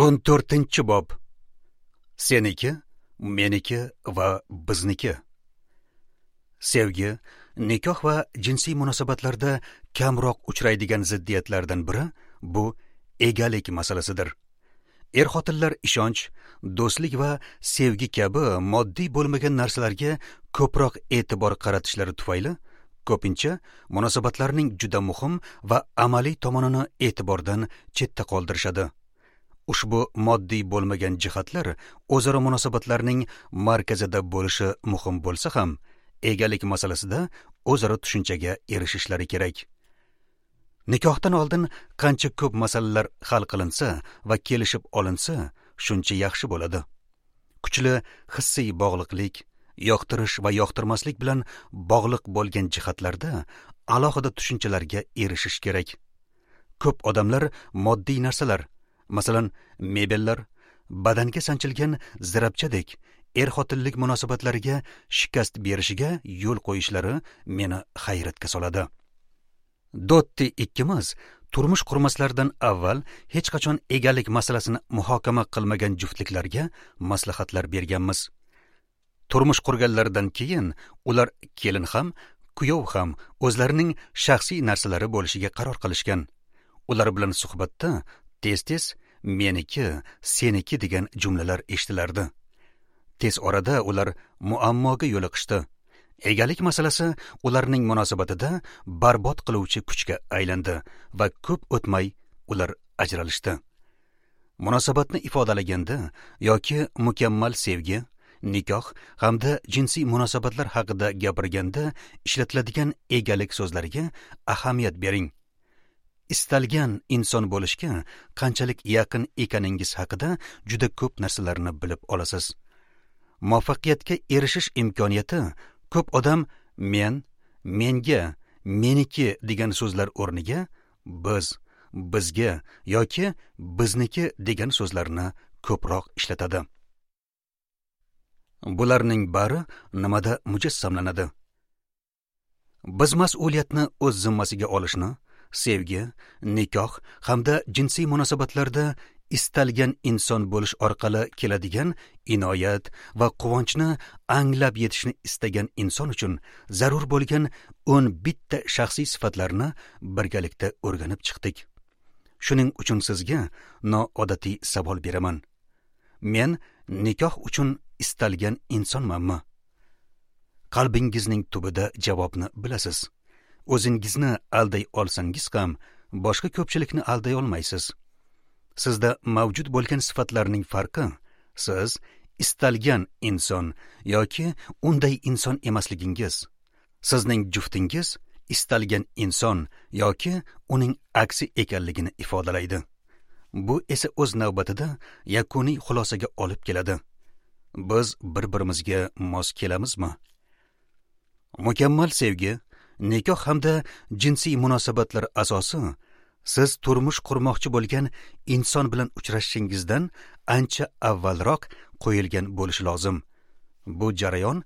14-bob. Seniki, meniki va bizniki. Sevgi, nikoh va jinsiy munosabatlarda kamroq uchraydigan ziddiyatlardan biri bu egalik masalasidir. Er-xotinlar ishonch, do'stlik va sevgi kabi moddiy bo'lmagan narsalarga ko'proq e'tibor qaratishlari tufayli ko'pincha munosabatlarning juda muhim va amaliy tomonini e'tibordan chetda qoldirishadi. Ushbu moddiy bo'lmagan jihatlar o'zaro munosabatlarning markazida bo'lishi muhim bo'lsa ham, egalik masalasida o'zaro tushunchaga erishishlari kerak. Nikohdan oldin qancha ko'p masalalar hal qilinsa va kelishib olinsa, shuncha yaxshi bo'ladi. Kuchli hissiy bog'liqlik, yoqtirish va yoqtirmaslik bilan bog'liq bo'lgan jihatlarda alohida tushunchalarga erishish kerak. Ko'p odamlar moddiy narsalar, masalan, mebellar, badanga sanchilgan zirabchadek er-xotinlik munosabatlariga shikast berishiga yo'l qo'yishlari meni hayratga soladi. Dotti ikkimiz turmush qurmaslardan avval hech qachon egalik masalasini muhokama qilmagan juftliklarga maslahatlar berganmiz. Turmush qurganlaridan keyin ular kelin ham, kuyov ham o'zlarining shaxsiy narsalari bo'lishiga qaror qilishgan. Ular bilan suhbatda tez-tez meniki, seniki degan jumlalar eshitilardi. Tez orada ular muammoga yo'liqishdi. Egalik masalasi ularning munosabatida barbod qiluvchi kuchga aylandi va ko'p o'tmay ular ajralishdi. Munosabatni ifodalaganda yoki mukammal sevgi, nikoh hamda jinsiy munosabatlar haqida gapirganda ishlatiladigan egalik so'zlariga ahamiyat bering. Istalgan inson bo'lishga qanchalik yaqin ekaningiz haqida juda ko'p narsalarni bilib olasiz. Muvaffaqiyatga erishish imkoniyati ko'p odam men, menga, meniki degan so'zlar o'rniga biz, bizga yoki bizniki degan so'zlarni ko'proq ishlatadi. Bularning bari nimada mujassamlanadi? Biz mas'uliyatni o'z zimmasiga olishni, sevgi, nikoh hamda jinsiy munosabatlarda istalgan inson bo'lish orqali keladigan inoyat va quvonchni anglab yetishni istagan inson uchun zarur bo'lgan 11 ta shaxsiy sifatlarni birgalikda o'rganib chiqdik. Shuning uchun sizga noodatiy savol beraman. Men nikoh uchun istalgan insonmanmi? Qalbingizning tubida javobni bilasiz. O'zingizni alday olsangiz ham, boshqa ko'pchilikni alday olmaysiz. Sizda mavjud bo'lgan sifatlarning farqi, siz istalgan inson yoki unday inson emasligingiz. Sizning juftingiz istalgan inson yoki uning aksi ekanligini ifodalaydi. Bu esa o'z navbatida yakuniy xulosaga olib keladi. Biz bir-birimizga mos kelamizmi? Mukammal sevgi, nikoh hamda jinsiy munosabatlar asosi siz turmush qurmoqchi bo'lgan inson bilan uchrashishingizdan ancha avvalroq qo'yilgan bo'lishi lozim. Bu jarayon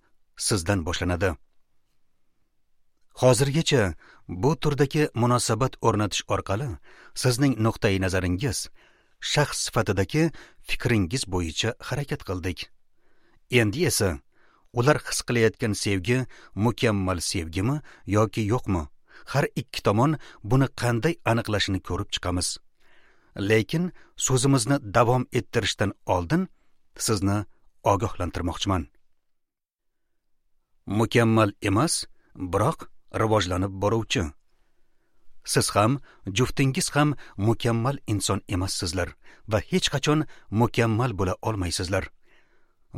sizdan boshlanadi. Hozirgacha bu turdagi munosabat o'rnatish orqali sizning nuqtai nazaringiz, shaxs sifatidagi fikringiz bo'yicha harakat qildik. Endi esa ular his qilayotgan sevgi mukammal sevgimi yoki yo'qmi? Har ikki tomon buni qanday aniqlashini ko'rib chiqamiz. Lekin so'zimizni davom ettirishdan oldin sizni ogohlantirmoqchiman. Mukammal emas, biroq rivojlanib boruvchi. Siz ham, juftingiz ham mukammal inson emassizlar va hech qachon mukammal bo'la olmaysizlar.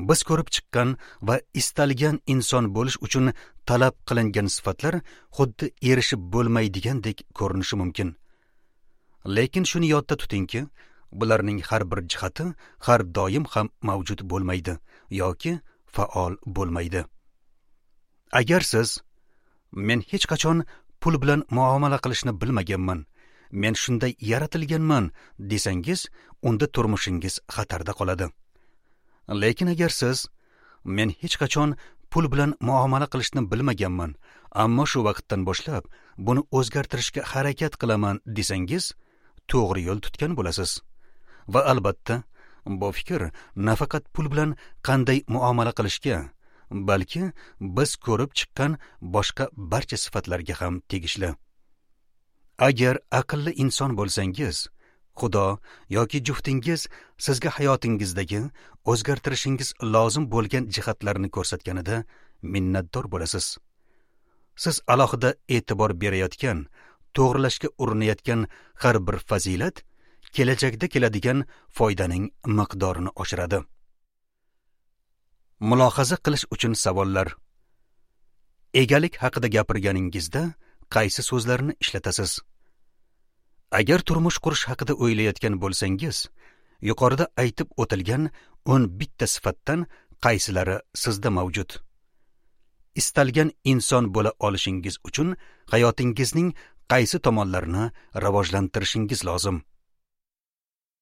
Biz ko'rib chiqqan va istalgan inson bo'lish uchun talab qilingan sifatlar xuddi erishib bo'lmaydigandek ko'rinishi mumkin. Lekin shuni yodda tutingki, bularning har bir jihati har doim ham mavjud bo'lmaydi yoki faol bo'lmaydi. Agar siz men hech qachon pul bilan muomala qilishni bilmaganman, men shunday yaratilganman desangiz, unda turmushingiz xatarda qoladi. Lekin agar siz men hech qachon pul bilan muomala qilishni bilmaganman, ammo shu vaqtdan boshlab buni o'zgartirishga harakat qilaman desangiz, to'g'ri yo'l tutgan bo'lasiz. Va albatta, bu fikr nafaqat pul bilan qanday muomala qilishga, balki biz ko'rib chiqqan boshqa barcha sifatlarga ham tegishli. Agar aqlli inson bo'lsangiz, Xudo yoki juftingiz sizga hayotingizdagi o'zgartirishingiz lozim bo'lgan jihatlarni ko'rsatganida minnatdor bo'lasiz. Siz alohida e'tibor berayotgan, to'g'rilashga urinayotgan har bir fazilat kelajakda keladigan foydaning miqdorini oshiradi. Mulohaza qilish uchun savollar. Egalik haqida gapirganingizda qaysi so'zlarni ishlatasiz? Agar turmush qurish haqida o'ylayotgan bo'lsangiz, yuqorida aytib o'tilgan 11 ta sifatdan qaysilari sizda mavjud? Istalgan inson bo'la olishingiz uchun hayotingizning qaysi tomonlarini rivojlantirishingiz lozim?